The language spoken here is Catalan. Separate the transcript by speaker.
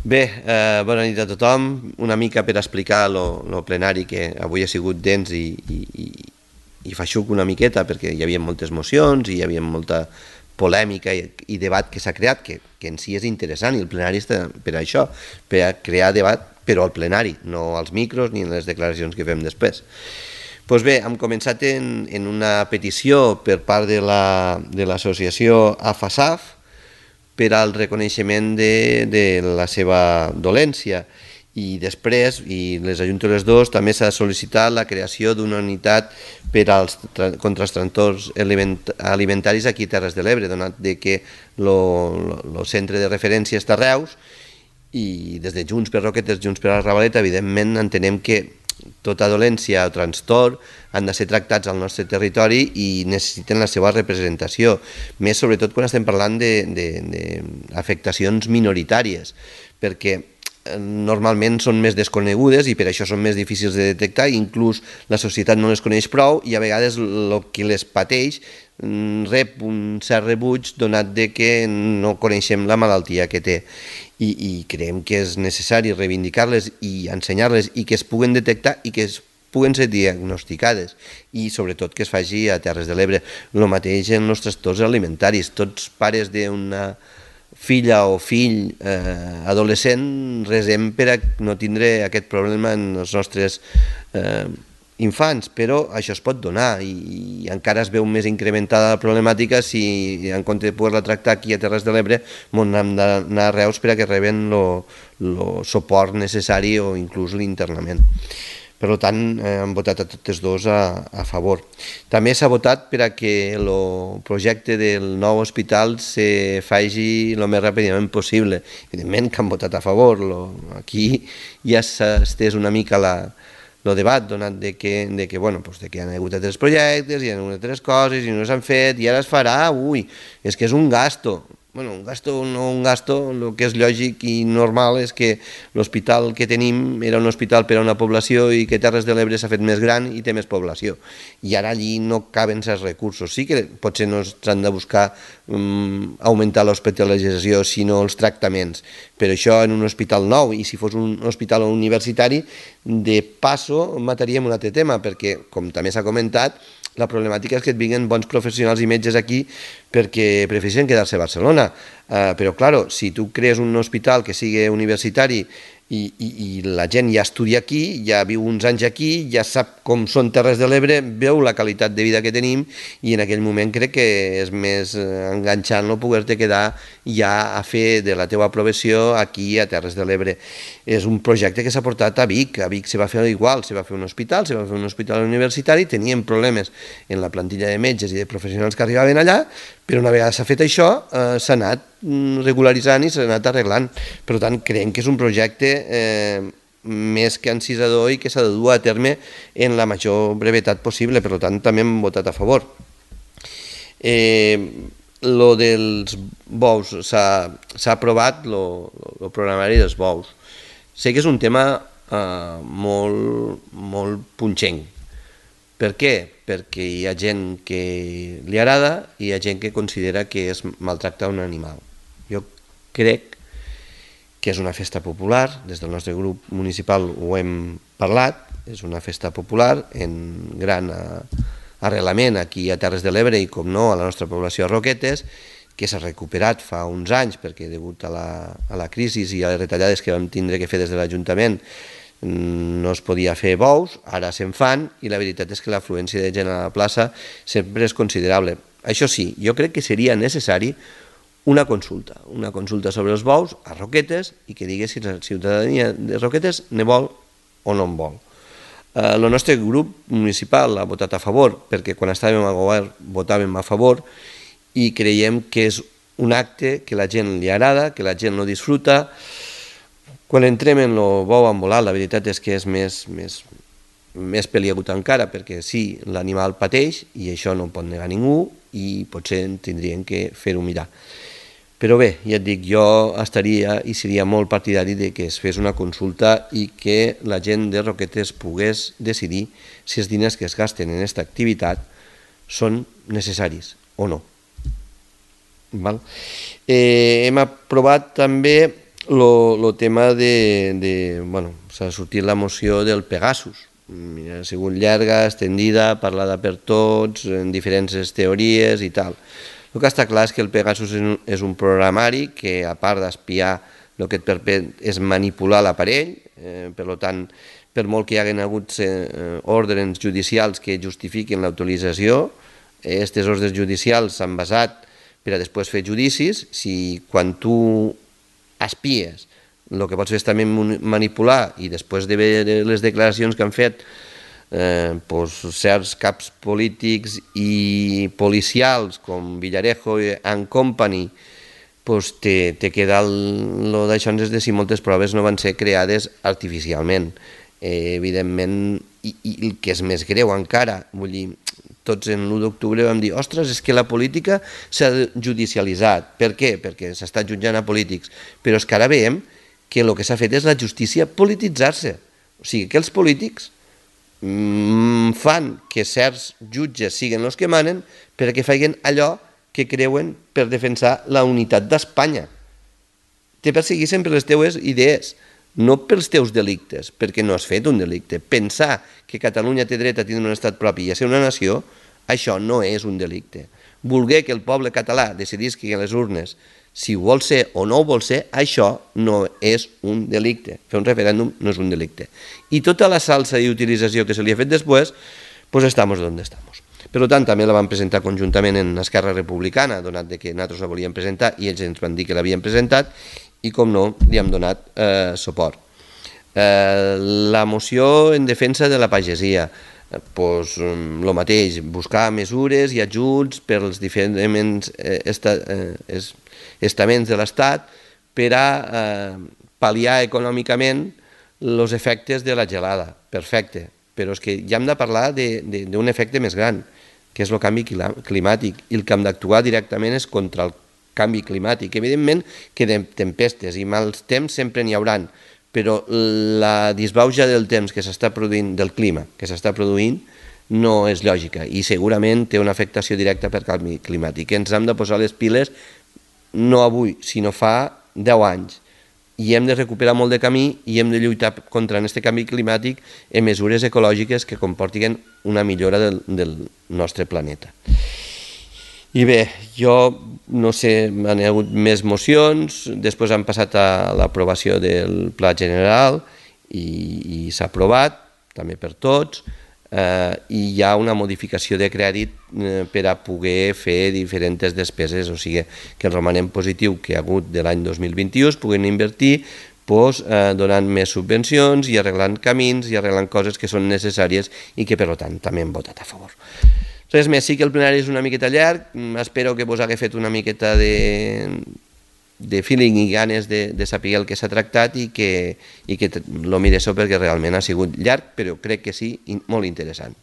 Speaker 1: Bé, bona nit a tothom. Una mica per explicar lo plenari, que avui ha sigut dens i feixuc una miqueta, perquè hi havia moltes mocions i hi havia molta polèmica i debat que s'ha creat, que en si és interessant, i el plenari està per això, per a crear debat, però al plenari, no als micros ni en les declaracions que fem després. Doncs bé, hem començat en una petició per part de l'associació AFASAF, per al reconeixement de la seva dolència, i després, i les ajunto les dos, també s'ha sol·licitat la creació d'una unitat contra els trastorns alimentaris aquí a Terres de l'Ebre, donat que el centre de referència està a Reus, i des de Junts per Roquetes, Junts per la Ravaleta, evidentment entenem que tota dolència o trastorn han de ser tractats al nostre territori i necessiten la seva representació, més sobretot quan estem parlant d'afectacions minoritàries, perquè normalment són més desconegudes i per això són més difícils de detectar, i inclús la societat no les coneix prou, i a vegades el que les pateix rep un cert rebuig donat que no coneixem la malaltia que té, i creiem que és necessari reivindicar-les i ensenyar-les, i que es puguen detectar i que es puguen ser diagnosticades, i sobretot que es faci a Terres de l'Ebre. El mateix en els trastorns alimentaris. Tots pares d'una filla o fill adolescent resem per a no tindre aquest problema en els nostres infants, però això es pot donar, i encara es veu més incrementada la problemàtica si en compte de poder-la tractar aquí a Terres de l'Ebre hem d'anar a Reus per a que reben el suport necessari o inclús l'internament. Per tant, hem votat a totes dos a favor. També s'ha votat per a que el projecte del nou hospital se faci el més ràpidament possible. Evidentment que han votat a favor. Aquí ja s'ha estès una mica el debat, donat que hi ha hagut altres projectes, hi ha hagut altres coses i no s'han fet, i ara es farà, és que és un gasto. Bueno, un gasto o no un gasto, el que és lògic i normal és que l'hospital que tenim era un hospital per a una població i que Terres de l'Ebre s'ha fet més gran i té més població, i ara allí no caben certs recursos. Sí que potser no s'han de buscar augmentar l'hospitalització, sinó els tractaments, però això en un hospital nou, i si fos un hospital universitari, de passo mataríem un altre tema, perquè, com també s'ha comentat, la problemàtica és que et vinguin bons professionals i metges aquí perquè prefereixen quedar-se a Barcelona. Però, clar, si tu crees un hospital que sigui universitari i la gent ja estudia aquí, ja viu uns anys aquí, ja sap com són Terres de l'Ebre, veu la qualitat de vida que tenim, i en aquell moment crec que és més enganxant no poder-te quedar ja a fer de la teva professió aquí a Terres de l'Ebre. És un projecte que s'ha portat a Vic se va fer igual, se va fer un hospital universitari, tenien problemes en la plantilla de metges i de professionals que arribaven allà, però una vegada s'ha fet això, s'ha anat regularitzant i s'ha anat arreglant. Per tant, creiem que és un projecte més que encisador i que s'ha de dur a terme en la major brevetat possible. Per tant, també hem votat a favor. Lo dels bous, s'ha aprovat el programari dels bous. Sé que és un tema molt punxenc. Per què? Perquè hi ha gent que li agrada i hi ha gent que considera que es maltracta un animal. Jo crec que és una festa popular, des del nostre grup municipal ho hem parlat, és una festa popular en gran arrelament aquí a Terres de l'Ebre i, com no, a la nostra població a Roquetes, que s'ha recuperat fa uns anys perquè degut a la crisi i a les retallades que vam tindre que fer des de l'Ajuntament no es podia fer bous, ara se'n fan, i la veritat és que l'afluència de gent a la plaça sempre és considerable. Això sí, jo crec que seria necessari una consulta sobre els bous a Roquetes, i que digui si la ciutadania de Roquetes ne vol o no en vol. El nostre grup municipal ha votat a favor, perquè quan estàvem al govern votàvem a favor, i creiem que és un acte que la gent li agrada, que la gent lo disfruta. Quan entrem en el bou embolat, la veritat és que és més peliagut encara, perquè sí, l'animal pateix, i això no pot negar ningú, i potser tindrien que fer-ho mirar. Però bé, ja et dic, jo estaria i seria molt partidari de que es fes una consulta i que la gent de Roquetes pogués decidir si els diners que es gasten en aquesta activitat són necessaris o no. Hem aprovat també Lo tema bueno, s'ha sortit la moció del Pegasus. Ha sigut llarga, extendida, parlada per tots, en diferents teories i tal. El que està clar és que el Pegasus és un programari que, a part d'espiar, el que et permet és manipular l'aparell, per tant, per molt que hi hagin hagut ordres judicials que justifiquin l'autorització, aquestes ordres judicials s'han basat per a després fer judicis. Si quan tu espies el que pots fer és també manipular, i després de veure les declaracions que han fet certs caps polítics i policials com Villarejo and Company, te queda lo d'això, és de si moltes proves no van ser creades artificialment. Evidentment, i el que és més greu encara, vull dir, tots en l'1 d'octubre vam dir, ostres, és que la política s'ha judicialitzat. Per què? Perquè s'està jutjant a polítics. Però és que ara veiem que el que s'ha fet és la justícia polititzar-se. O sigui, que els polítics fan que certs jutges siguin els que manen perquè facin allò que creuen per defensar la unitat d'Espanya. Te persegueixen per les teues idees, no pels teus delictes, perquè no has fet un delicte. Pensar que Catalunya té dret a tindre un estat propi i a ser una nació, això no és un delicte. Voler que el poble català decidisqui a les urnes si ho vol ser o no ho vol ser, això no és un delicte. Fer un referèndum no és un delicte. I tota la salsa i utilització que se li ha fet després, pues estamos donde estamos. Per tant, també la vam presentar conjuntament en Esquerra Republicana, donat que nosaltres la volíem presentar i ells ens van dir que l'havien presentat, i com no, li hem donat suport. La moció en defensa de la pagesia, doncs el mateix, buscar mesures i ajuts per als diferents estaments de l'Estat per a pal·liar econòmicament els efectes de la gelada. Perfecte, però és que ja hem de parlar d'un efecte més gran, que és el canvi climàtic, i el que hem d'actuar directament és contra el canvi climàtic. Evidentment que de tempestes i mals temps sempre n'hi hauran, però la disbauxa del temps que s'està produint, del clima que s'està produint, no és lògica i segurament té una afectació directa per canvi climàtic. Ens hem de posar les piles no avui, sinó fa 10 anys. I hem de recuperar molt de camí i hem de lluitar contra aquest canvi climàtic en mesures ecològiques que comportin una millora del nostre planeta. I bé, jo no sé, han hagut més mocions, després han passat a l'aprovació del Pla General i s'ha aprovat, també per tots, i hi ha una modificació de crèdit per a poder fer diferents despeses, o sigui que el romanent positiu que hi ha hagut de l'any 2021 es puguin invertir donant més subvencions i arreglant camins i arreglant coses que són necessàries i que per tant també hem votat a favor. Res més, sí que el plenari és una miqueta llarg, espero que vos hagués fet una miqueta de feeling i ganes de saber el que s'ha tractat i que lo mireu perquè realment ha sigut llarg, però crec que sí, i molt interessant.